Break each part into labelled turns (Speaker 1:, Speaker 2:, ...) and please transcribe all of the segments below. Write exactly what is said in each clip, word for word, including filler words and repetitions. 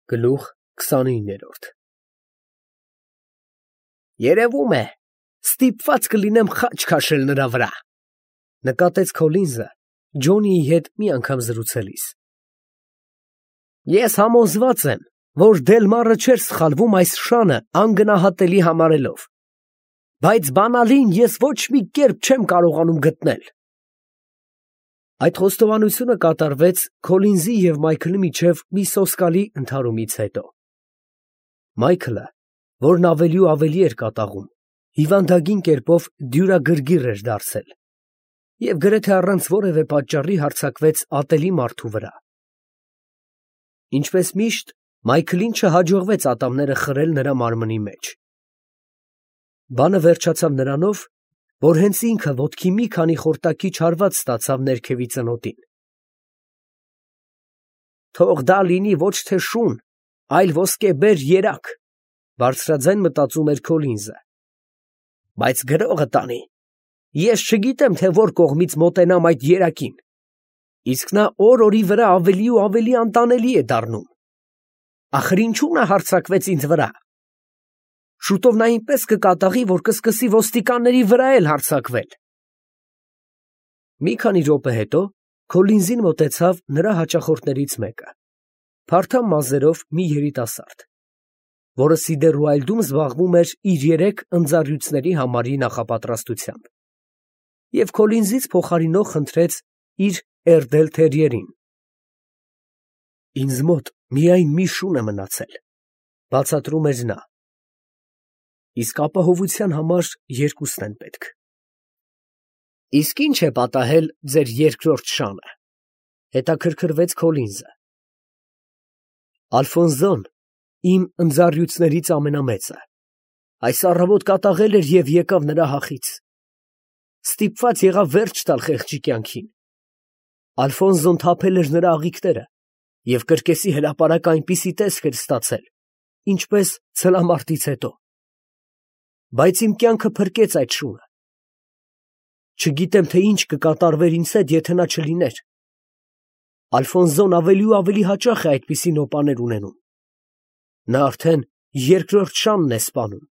Speaker 1: Գլուխ քսանիններորդ Երևում է, ստիպված կլինեմ խաչ քաշել նրա վրա, նկատեց Քոլինզը Ջոնիի հետ մի անգամ զրուցելիս։ Ես համոզված եմ, որ Դելմարը չէր սխալվում այս շանը անգնահատելի համարելով, բայց բանալին ես ոչ մի կերպ չեմ կարողանում գտնել։ Այդ խոստովանությունը կատարվեց Քոլինզի և Մայքլի միջև մի սոսկալի ընդհարումից հետո։ Մայքլը, որն ավելի ու ավելի էր կատաղում, հիվանդագին կերպով դյուրագրգիռ էր դարձել և գրեթե առանց որևէ պատճառի հարձակվեց ատելի մարդու վրա։ Ինչպես միշտ, Մայքլին չհաջողվեց ատամները խրել նրա մարմնի մեջ։ Բանը վերջացավ նրանով, որ հենց ինքը ոտքի մի քանի խորտակի չարված ստացավ ներքևի ծնոտին։ Թող դա լինի ոչ թե շուն, այլ ոսկեբեր երակ, բարձրաձայն մտածում էր Քոլինզը։ Բայց գրողը տանի, ես չգիտեմ, թե որ կողմից մոտենամ այդ երակին, իսկ նա օր֊օրի վրա ավելի ու ավելի անտանելի է դառնում։ Ախր ինչու նա հարձակվեց ինձ վրա։ Շուտով նա այնպես կկատաղի, որ կսկսի ոստիկանների վրա էլ հարձակվել։ Մի քանի րոպե հետո Քոլինզին մոտեցավ նրա հաճախորդներից մեկը, փարթամ մազերով մի երիտասարդ, որը Սիդերուայլդում զբաղվում էր իր երեք ընձառյուծների համարի նախապատրաստությամբ, և Քոլինզից փոխարինող խնդրեց իր էրդել թերիերին։ Ինձ մոտ միայն մի շուն է մնացել, բացատրում էր նա, իսկ ապահովության համար երկուսն են պետք։ Իսկ ի՞նչ է պատահել ձեր երկրորդ շանը, հետաքրքրվեց Քոլինզը։ Ալֆոնսոն, իմ ընձառյուծներից ամենամեծը, այս առավոտ կատաղել էր և եկավ նրա հախից։ Ստիպված եղավ վերջ տալ խեղճի կյանքին։ Ալֆոնսոն թափել էր նրա աղիքները և կրկեսի հրապարակը այնպիսի տեսք էր ստացել, ինչպես ցլամարտից հետո։ Բայց իմ կյանքը փրկեց այդ շունը։ Չգիտեմ, թե ինչ կկատարվեր ինձ հետ, եթե նա չլիներ։ Ալֆոնսոն ավելի ու ավելի հաճախ է այդպիսի նոպաներ ունենում։ Նա արդեն երկրորդ շանն է սպանում։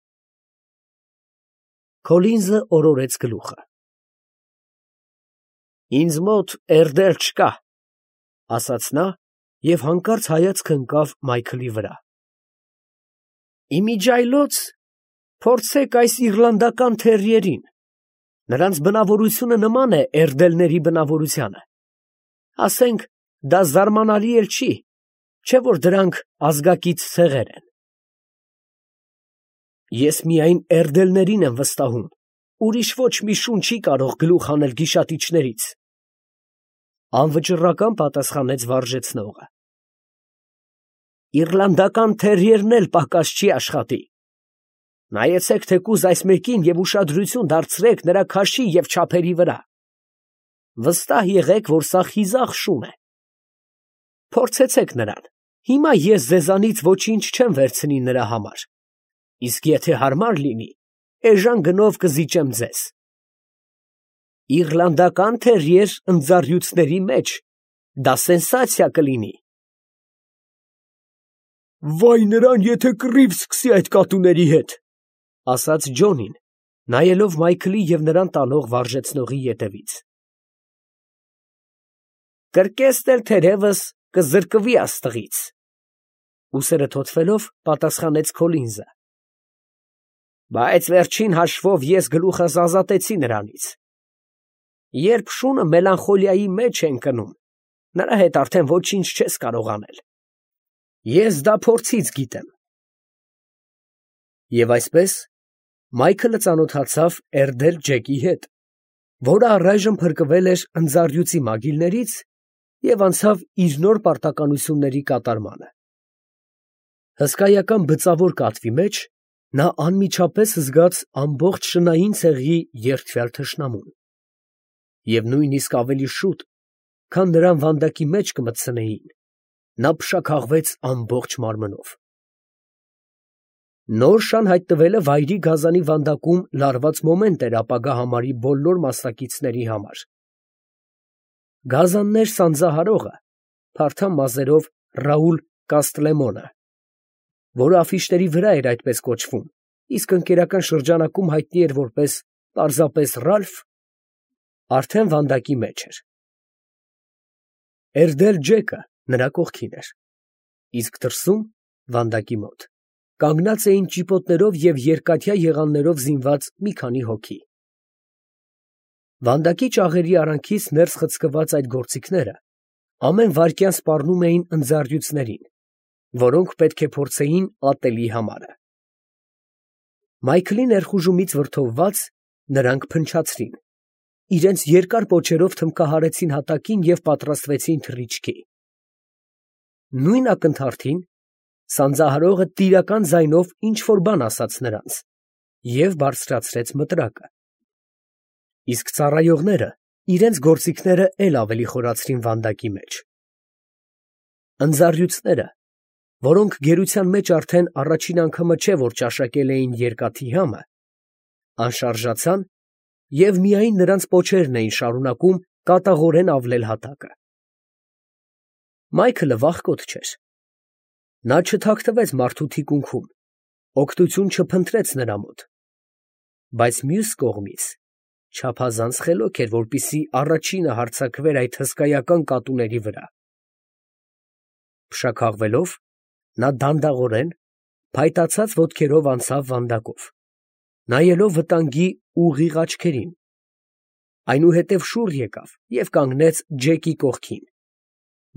Speaker 1: Քոլինզը օրորեց գլուխը։ Ինձ մոտ էրդել չկա, ասաց նա և հանկարծ հայացքը ընկավ Մայքլի վրա։ Իմիջիայլոց փորձեք այս իռլանդական թերիերին, նրանց բնավորությունը նման է էրդելների բնավորությանը, ասենք, դա զարմանալի էլ չի, չէ՞ որ դրանք ազգակից ցեղեր են։ Ես միայն էրդելներին եմ վստահում, ուրիշ ոչ մի շուն չի կարող գլուխ հանել գիշատիչներից, անվճռական պատասխանեց վարժեցնողը։ Իռլանդական թերիերն էլ պակաս չի աշխատի։ Նայեցեք թեկուզ այս մեկին և ուշադրություն դարձրեք նրա քաշի և չափերի վրա։ Վստահ եղեք, որ սա խիզախ շուն է։ Փորձեցեք նրան, հիմա ես ձեզանից ոչինչ չեմ վերցնի նրա համար, իսկ եթե հարմար լինի, էժան գնով կզիջեմ ձեզ։ Իռլանդական թերիեր ընձառյուծների մեջ դա սենսացիա կլինի։ Վայ նրան, եթե կռիվ սկսի այդ կատուների հետ, ասաց Ջոնին, նայելով Մայքլի և նրան տանող վարժեցնողի ետևից։ Կրկեստ էլ թերևս կզրկվի աստղից, ուսերը թոթվելով պատասխանեց Քոլինզը։ Բայց վերջին հաշվով ես գլուխս ազատեցի նրանից։ Երբ շունը մելանխոլիայի մեջ է ընկնում, նրա հետ արդեն ոչինչ չես կարող անել։ Ես դա փորձից գիտեմ։ Եվ այսպես Մայքլը ծանոթացավ Էրդել Ջեկի հետ, որը առայժմ փրկվել էր ընձառյուծի մագիլներից և անցավ իր նոր պարտականությունների կատարմանը։ Հսկայական բծավոր կատվի մեջ նա անմիջապես զգաց ամբողջ շնային ցեղի երդվյալ թշնամուն, և նույնիսկ ավելի շուտ, քան նրան վանդակի մեջ կմտցնեին, նա փշաքաղվեց ամբողջ մարմնով։ Նոր շան հայտնվելը վայրի գազանի վանդակում լարված մոմենտ էր ապագա համարի բոլոր մասնակիցների համար։ Գազաններ սանձահարողը, փարթամ մազերով Ռաուլ Կաստրլեմոնը որը աֆիշների վրա էր այդպես կոչվում, իսկ ընկերական շրջանակում հայտնի էր որպես պարզապես Ռալֆ, արդեն վանդակի մեջ էր։ Էրդել Ջեկը նրա կողքին էր, իսկ դրսում, վանդակի մոտ, կանգնած էին ճիպոտներով և երկաթյա եղաններով զինված մի քանի հոգի։ Վանդակի ճաղերի արանքից ներս խցկված այդ գործիքները ամեն վայրկյան սպառնում էին ընձառյուծներին, որոնք պետք է փորձեին ատելի համարը։ Մայքլի ներխուժումից վրդովված, նրանք փնչացրին, իրենց երկար պոչերով թմքահարեցին հատակին և պատրաստվեցին թռիչքի։ Նույն ակնթարթին սանձահարողը տիրական ձայնով ինչ֊որ բան ասաց նրանց և բարձրացրեց մտրակը, իսկ ծառայողները իրենց գործիքները էլ ավելի խորացրին վանդակի մեջ։ Ընձառյուծները, որոնք գերության մեջ արդեն առաջին անգամը չէ, որ ճաշակել էին երկաթի համը, անշարժացան և միայն նրանց պոչերն էին շարունակում կատաղորեն ավլել հատակը։ Մայքլը վախկոտ չէր։ Նա չթաքցվեց մարդու թիկունքում, օգնություն չփնտրեց նրա մոտ, բայց մյուս կողմից չափազանց խելոք էր, որպեսզի առաջինը հարձակվեր այդ հսկայական կատուների վրա։ Փշաքաղվելով, նա դանդաղորեն, փայտացած ոտքերով անցավ վանդակով, նայելով վտանգի ուղիղ աչքերին, այնուհետև շուռ եկավ և կանգնեց Ջեկի կողքին,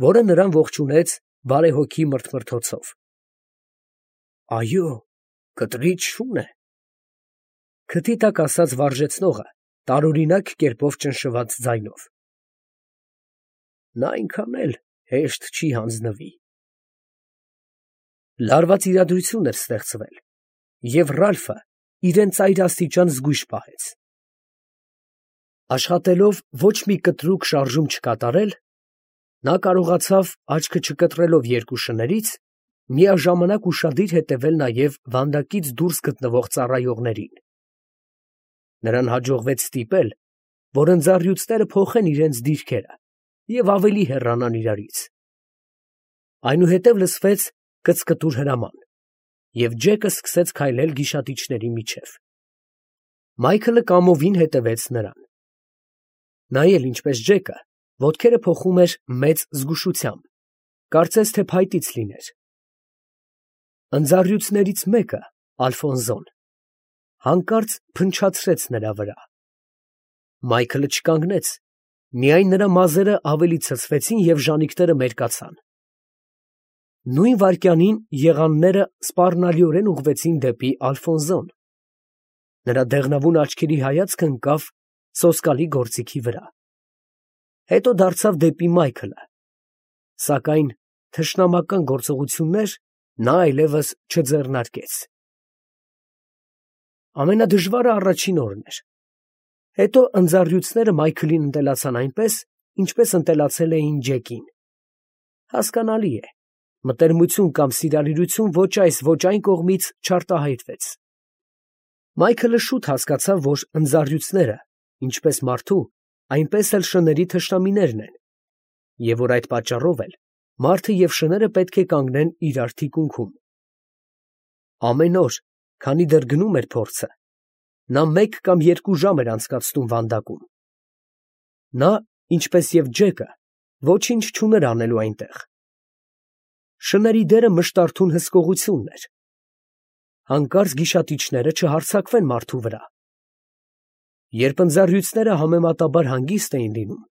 Speaker 1: որը նրան ողջունեց բարեհոգի մրթմրթոցով։ «Այո, կտրիչ շուն է», քթի տակ ասաց վարժեցնողը տարօրինակ կերպով ճնշված ձայնով։ «Նա այնքան էլ հեշտ չի հանձնվի»։ Լարված իրադրություն էր ստեղծվել, և Ռալֆը իրան ծայրաստիճան զգույշ պահեց։ Աշխատելով ոչ մի կտրուկ շարժում չկատարել, նա կարողացավ, աչքը չկտրելով երկու շներից, միաժամանակ ուշադիր հետևել նաև վանդակից դուրս գտնվող ծառայողներին։ Նրան հաջողվեց ստիպել, որ ընձառյուծները փոխեն իրենց դիրքերը և ավելի հեռանան իրարից։ Այնուհետև լսվեց կծկտուր հրաման, և Ջեկը սկսեց քայլել գիշատիչների միջև։ Մայքլը կամովին հետևեց նրան։ Նա էլ, ինչպես Ջեկը, ոտքերը փոխում էր մեծ զգուշությամբ, կարծես թե փայտից լիներ։ Ընձառյուծներից մեկը, Ալֆոնսոն, հանկարծ փնչացրեց նրա վրա։ Մայքլը չկանգնեց, միայն նրա մազերը ավելի ցցվեցին և ժանիքները մերկացան։ Նույն վայրկյանին եղանները սպառնալիորեն ուղղվեցին դեպի Ալֆոնսոն։ Նրա դեղնավուն աչքերի հայացքը ընկավ սոսկալի գործիքի վրա, հետո դարձավ դեպի Մայքլը, սակայն թշնամական գործողություններ նա այլևս չձեռնարկեց։ Ամենադժվարը առաջին օրն էր։ Հետո ընձառյուծները Մայքլին ընտելացան այնպես, ինչպես ընտելացել էին Ջեկին։ Հասկանալի է, մտերմություն կամ սիրալիրություն ոչ այս, ոչ այն կողմից չարտահայտվեց։ Մայքլը շուտ հասկացավ, որ ընձառյուծները, ինչպես մարդու, այնպես էլ շների թշնամիներն են, և որ այդ պատճառով էլ մարդը և շները պետք է կանգնեն իրար թիկունքում։ Ամեն օր, քանի դեռ գնում էր փորձը, նա մեկ կամ երկու ժամ էր անցկացնում վանդակում։ Նա, ինչպես և Ջեկը, ոչինչ չուներ անելու այնտեղ։ Շների դերը մշտարթուն հսկողությունն էր։ Հանկարծ գիշատիչները չհարձակվեն մարդու վրա։ Երբ ընձառյուծները համեմատաբար հանգիստ էին լինում,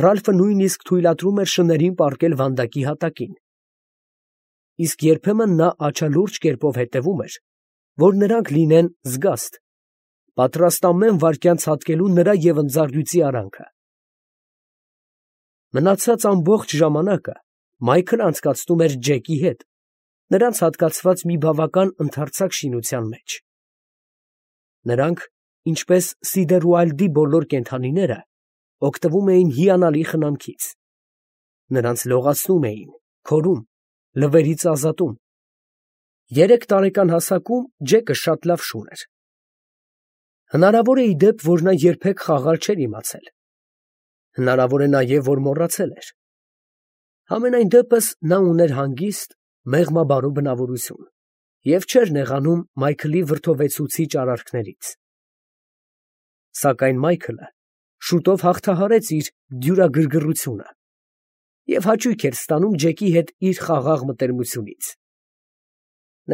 Speaker 1: Ռալֆը նույնիսկ թույլատրում էր շներին պառկել վանդակի հատակին, իսկ երբեմն նա աչալուրջ կերպով հետևում էր, որ նրանք լինեն զգաստ, պատրաստ ամեն վայրկյան ցատկելու նրա և ընձառյուծի արանքը։ Մնացած ամբողջ ժամանակը Մայքլը անցկացնում էր Ջեկի հետ, նրանց հատկացված մի բավական ընդարձակ շինության մեջ։ Նրանք, ինչպես Սիդերուայլդի բոլոր կենդանիները, օգտվում էին հիանալի խնամքից։ Նրանց լողացնում էին, քորում, լվերից ազատում։ Երեք տարեկան հասակում Ջեկը շատ լավ շուն էր։ Հնարավոր է ի դեպ, որ նա երբեք խաղալ չէր իմացել։ Հնարավոր է նաև, որ մոռացել էր։ Համենայն դեպս նա ուներ հանգիստ, մեղմաբարո բնավորություն։ և չէր նեղանում Մայքլի վրդովեցուցիչ արարքներից։ Սակայն Մայքլը շուտով հաղթահարեց իր դյուրագրգռությունը և հաճույք էր ստանում Ջեկի հետ իր խաղաղ մտերմությունից։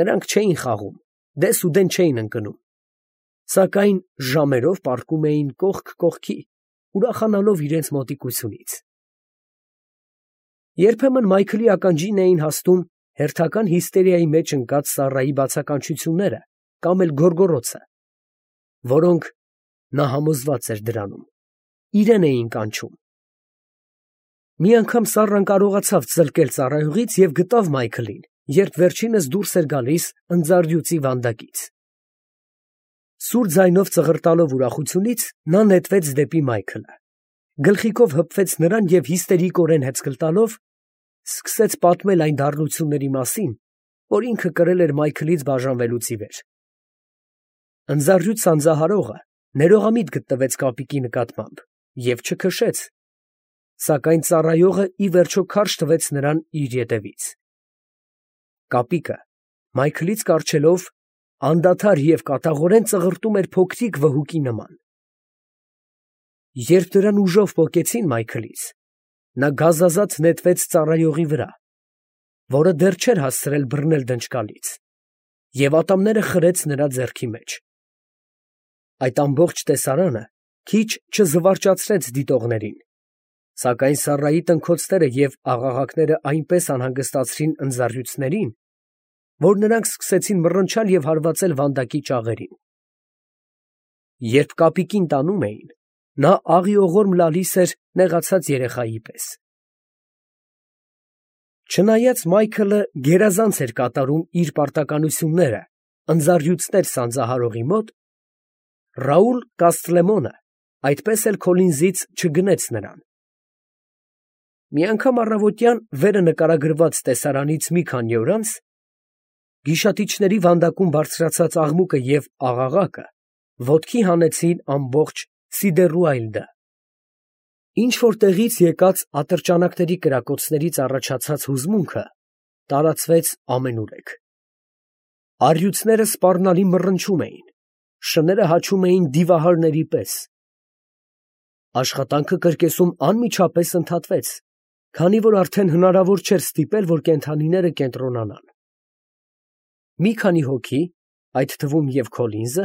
Speaker 1: Նրանք չէին խաղում, դեսուդեն չէին ընկնում, սակայն ժամերով պառկում էին կողք կողքի, ուրախանալով իրենց մոտիկությունից։ Երբեմն Մայքլի ականջին էին հասնում հերթական հիստերիայի մեջ ընկած Սառայի բացականչությունները կամ էլ գոռգոռոցը, որոնք, նա համոզված էր դրանում, իրեն էին կանչում։ Մի անգամ Սառան կարողացավ ծլկել ծառայողից և գտավ Մայքլին, երբ վերջինս դուրս էր գալիս ընձառյուծի վանդակից։ Սուր ձայնով ծղրտալով ուրախությունից, նա նետվեց դեպի Մայքլը, գլխիկով հպվեց նրան և հիստերիկորեն հեծկլ տալով սկսեց պատմել այն դառնությունների մասին, որ ինքը կրել էր Մայքլից բաժանվելուց ի վեր։ Ընձառյուծ սանձահարողը ներողամիտ գտնվեց կապիկի նկատմամբ և չքշեց, սակայն ծառայողը ի վերջո քարշ տվեց նրան իր ետևից։ Կապիկը, Մայքլից կառչելով, անդադար և կատաղորեն ծղրտում էր փոքրիկ վհուկի նման։ Երբ նրան ուժով պոկեցին Մայքլից, նա գազազած նետվեց ծառայողի վրա, որը դեռ չէր հասցրել բռնել դնճկալից, և ատամները խրեց նրա ձեռքի մեջ։ Այդ ամբողջ տեսարանը քիչ չզվարճացրեց դիտողներին, սակայն Սառայի տնքոցները և աղաղակները այնպես անհանգստացրին ընձառյուծներին, որ նրանք սկսեցին մռնչալ և հարվածել վանդակի ճաղերին։ Երբ կապիկին տանում էին, նա աղիողորմ լալիս էր նեղացած երեխայի պես։ Չնայած Մայքլը գերազանց էր կատարում իր պարտականությունները ընձառյուծներ սանձահարողի մոտ, Ռաուլ Կաստրլեմոնը այդպես էլ Քոլինզից չգնեց նրան։ Մի անգամ առավոտյան վերը նկարագրված տեսարանից մի քանի օր անց, գիշատիչների վանդակում բարձրացած աղմուկը և աղաղակը ոտքի հանեցին ամբողջ Սիդերուայլդը։ Ինչ֊որ տեղից եկած ատրճանակների կրակոցներից առաջացած հուզմունքը տարածվեց ամենուրեք։ Առյուծները սպառնալի մռնչում էին, շները հաչում էին դիվահարների պես։ Աշխատանքը կրկեսում անմիջապես ընդհատվեց, քանի որ արդեն հնարավոր չէր ստիպել, որ կենդանիները կենտրոնանան։ Մի քանի հոգի, այդ թվում և Քոլինզը,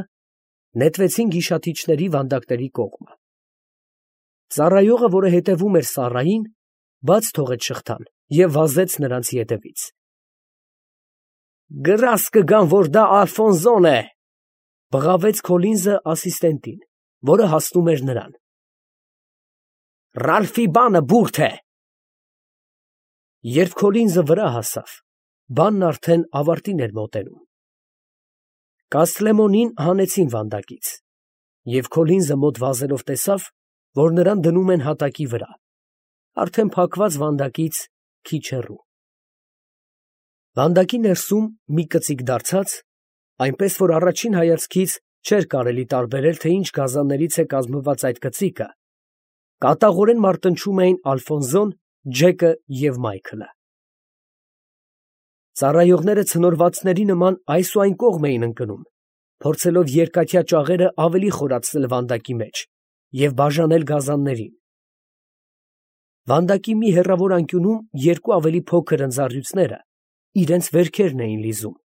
Speaker 1: նետվեցին գիշատիչների վանդակների կողմը։ Ծառայողը, որը հետևում էր Սառային, բաց թողեց շղթան և վազեց նրանց ետևից։ ֊ Գրազ կգան, որ դա Ալֆոնսոն է, ֊ բղավեց Քոլինզը ասիստենտին, որը հասնում էր նրան։ ֊ Ռալֆի բանը բուրդ է։ Երբ Քոլինզը վրա հասավ, բանն արդեն ավարտին էր մոտենում։ Կաստրլեմոնին հանեցին վանդակից, և Քոլինզը մոտ վազելով տեսավ, որ նրան դնում են հատակի վրա, արդեն փակված վանդակից քիչ հեռու։ Վանդակի ներսում մի կծիկ դարձած, այնպես որ առաջին հայացքից չէր կարելի տարբերել, թե ինչ գազաններից է կազմված այդ կծիկը, կատաղորեն մարտնչում էին Ալֆոնսոն, Ջեկը և Մայքլը։ Ծառայողները ցնորվածների նման այս ու այն կողմ էին ընկնում, փորձելով երկաթյա ճաղերը ավելի խորացնել վանդակի մեջ և բաժանել գազաններին։ Վանդակի մի հեռավոր անկյունում երկու ավելի փոքր ընձառյուծները իրենց վերքերն էին լիզում,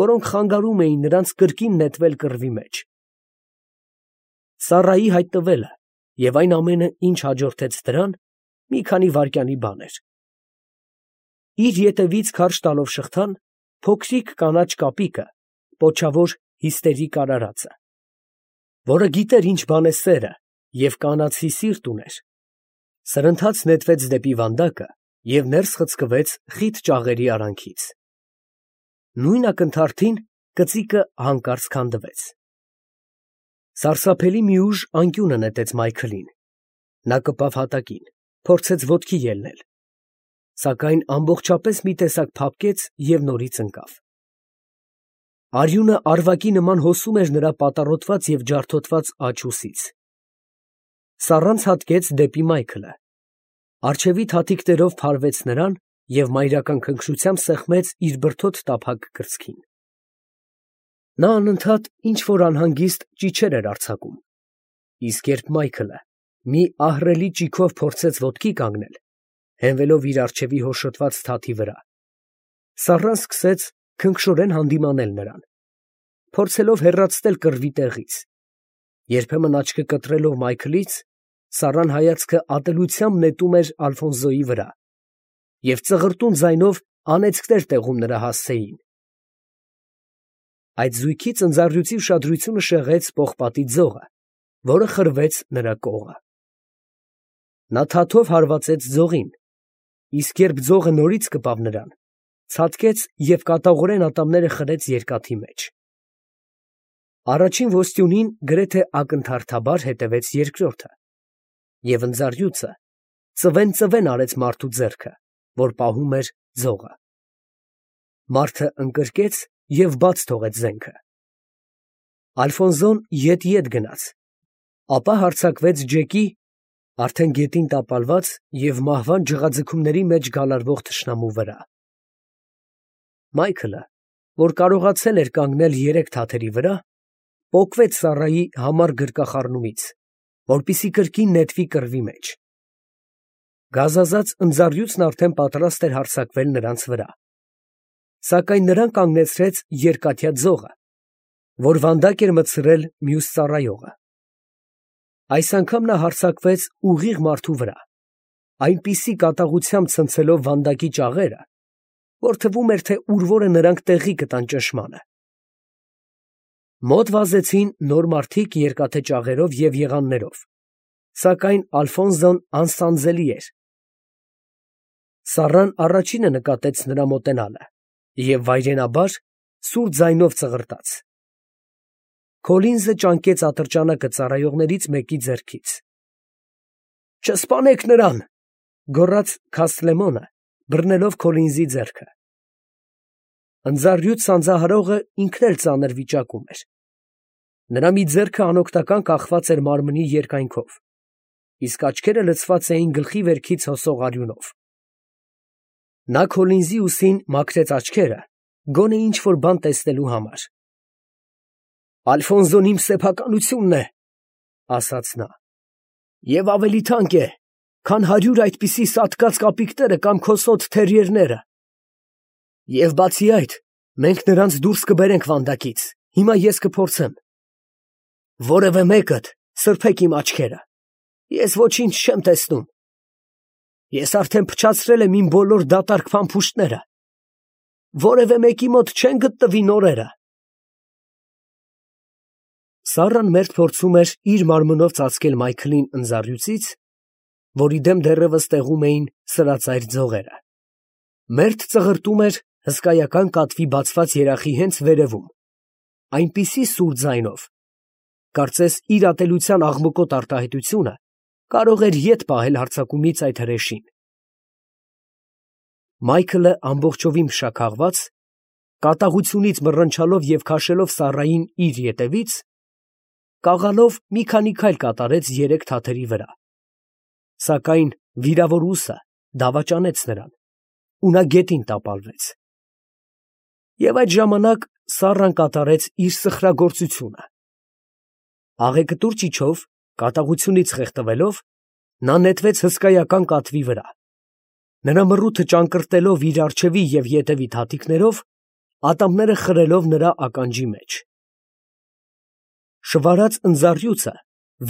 Speaker 1: որոնք խանգարում էին նրանց կրկին նետվել կռվի մեջ։ Սառայի հայտնվելը և այն ամենը, ինչ հաջորդեց դրան, մի քանի վայրկյանի բան էր։ Իր ետևից քարշ տալով շղթան, փոքրիկ կանաչ կապիկը, պոչավոր հիստերիկ արարածը, որը գիտեր ինչ բան է սերը և կանացի սիրտ ուներ, սրընթաց նետվեց դեպի վանդակը և ներս խցկվեց խիտ ճաղերի արանքից։ Նույն ակնթարթին կծիկը հանկարծ քանդվեց։ Սարսափելի մի ուժ անկյունը նետեց Մայքլին. նա կպավ հատակին, փորձեց ոտքի ելնել, սակայն ամբողջապես մի տեսակ փափկեց և նորից ընկավ։ Արյունը արվակի նման հոսում էր նրա պատառոտված և ջարդոտված աջ ուսից։ Սառան ցատկեց դեպի Մայքլը, առջևի թաթիկներով փարվեց նրան և մայրական քնքշությամբ սեղմեց իր բրդոտ տափակ կրծքին։ Նա անընդհատ ինչ-որ անհանգիստ ճիչեր էր արձակում, իսկ երբ Մայքլը մի ահռելի ճիգով փորձեց ոտքի կանգնել, հենվելով իր առջևի հոշոտված թաթի վրա, Սառան սկսեց քնքշորեն հանդիմանել նրան, փորձելով հեռացնել կռվի տեղից. երբեմն աչքը կտրելով Մայքլից, Սառան հայացքը ատելությամբ նետում էր Ալֆոնսոյի վրա և ծղրտուն ձայնով անեծքներ տեղում նրա հասցեին։ Այդ զույգի ծնծաղրույցի ուշադրությունը շեղեց պողպատի ձողը, որը խրվեց նրա կողը։ Նա թաթով հարվածեց ձողին, իսկ երբ ձողը նորից կպավ նրան, ցատկեց և կատաղորեն ատամները խրեց երկաթի մեջ։ Առաջին ոստյունին գրեթե ակնթարթաբար հետևեց երկրորդը, և ընձառյուծը ծվեն֊ծվեն արեց մարդու ձեռքը, որ պահում էր ձողը։ Մարդը ընկրկեց և բաց թողեց զենքը։ Ալֆոնսոն ետ֊ետ գնաց, ապա հարձակվեց Ջեկի, արդեն գետին տապալված և մահվան ջղաձգումների մեջ գալարվող թշնամու վրա։ Մայքլը, որ կարողացել էր կանգնել երեք թաթերի վրա, պոկվեց Սառայի համար գրկախառնումից, որպեսզի կրկին նետվի կռվի մեջ։ Գազազած ընձառյուծն արդեն պատրաստ էր հարձակվել նրանց վրա, սակայն նրան կանգնեցրեց երկաթյա ձողը, որ վանդակ էր մտցրել մյուս ծառայողը։ Այս անգամ նա հարձակվեց ուղիղ մարդու վրա, այնպիսի կատաղությամբ ցնցելով վանդակի ճաղերը, որ թվում էր, թե ուր որը նրանք տեղի կտան ճնշմանը։ Մոտ վազեցին նոր մարդիկ երկաթե ճաղերով և եղաններով, սակայն Ալֆոնսոն անսանձելի էր։ Սառան առաջինը նկատեց նրա մոտենալը և վայրենաբար սուր ձայնով ծղրտաց։ Քոլինզը ճանկեց ատրճանակը ծառայողներից մեկի ձեռքից։ ֊ Չսպանեք նրան, ֊ գոռաց Քասթլեմոնը, բռնելով Քոլինզի ձեռքը։ Ընձառյուծ սանձահարողը ինքն էլ ծանր վիճակում էր։ Նրա մի ձեռքը անօգնական կախված էր մարմնի երկայնքով, իսկ աչքերը լցված էին գլխի վերքից հոսող արյունով։ Նա Քոլինզի ուսին մաքրեց աչքերը, գոնե ինչ֊որ բան տեսնելու համար։ ֊ Ալֆոնսոն իմ սեփականությունն է, ֊ ասաց նա, ֊ և ավելի թանկ է, քան հարյուր այդպիսի սատկած կապիկները կամ քո սոթ թերիերները։ Եվ բացի այդ, մենք նրանց դուրս կբերենք վանդակից, հիմա ես կփորձեմ։ Որևէ մեկդ սրբեք իմ աչքերը, ես ոչինչ չեմ տեսնում։ Ես արդեն փչացրել եմ իմ բոլոր դատարկ փամփուշտները, որևէ մեկի մոտ չեն գտնվի նորերը։ Սառան մերթ փորձում էր իր մարմնով ծածկել Մայքլին ընձառյուծից, որի դեմ դեռևս տեղում էին սրածայր ձողերը, մերթ ծղրտում էր հսկայական կատվի բացված երախի հենց վերևում, այնպիսի սուր ձայնով, կարծես իր ատելության աղմկոտ արտահայտությունը կարող էր ետ պահել հարձակումից այդ հրեշին։ Մայքլը ամբողջովին փշաքաղված, կատաղությունից մռնչալով և քաշելով Սառային իր ետևից, կաղալով մի քանի քայլ կատարեց երեք թաթերի վրա, սակայն վիրավոր ուսը դավաճանեց նրան, ու նա գետին տապալվեց։ Եվ այդ ժամանակ Սառան կատարեց իր սխրագործությունը։ Աղեկտուր ճիչով, կատաղությունից խեղդվելով, նա նետվեց հսկայական կատվի վրա։ Նրա մռութը ճանկռտելով իր առջևի և ետևի թաթիկներով, ատամները խրելով նրա ականջի մեջ։ Շվարած ընձառյուծը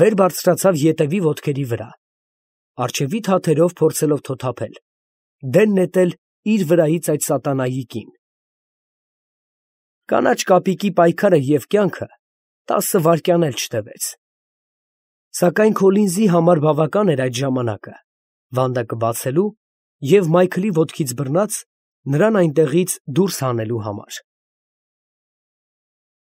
Speaker 1: վեր բարձրացավ ետևի ոտքերի վրա, առջևի թաթերով փորձելով թոթափել, դեն նետել իր վրայից այդ սատանայի կին։ Կանաչ կապիկի պայքարը և կյանքը տասը վայրկյան էլ չտևեց։ Սակայն Քոլինզի համար բավական էր այդ ժամանակը վանդակը բացելու և Մայքլի ոտքից բռնած, նրան այնտեղից դուրս հանելու համար։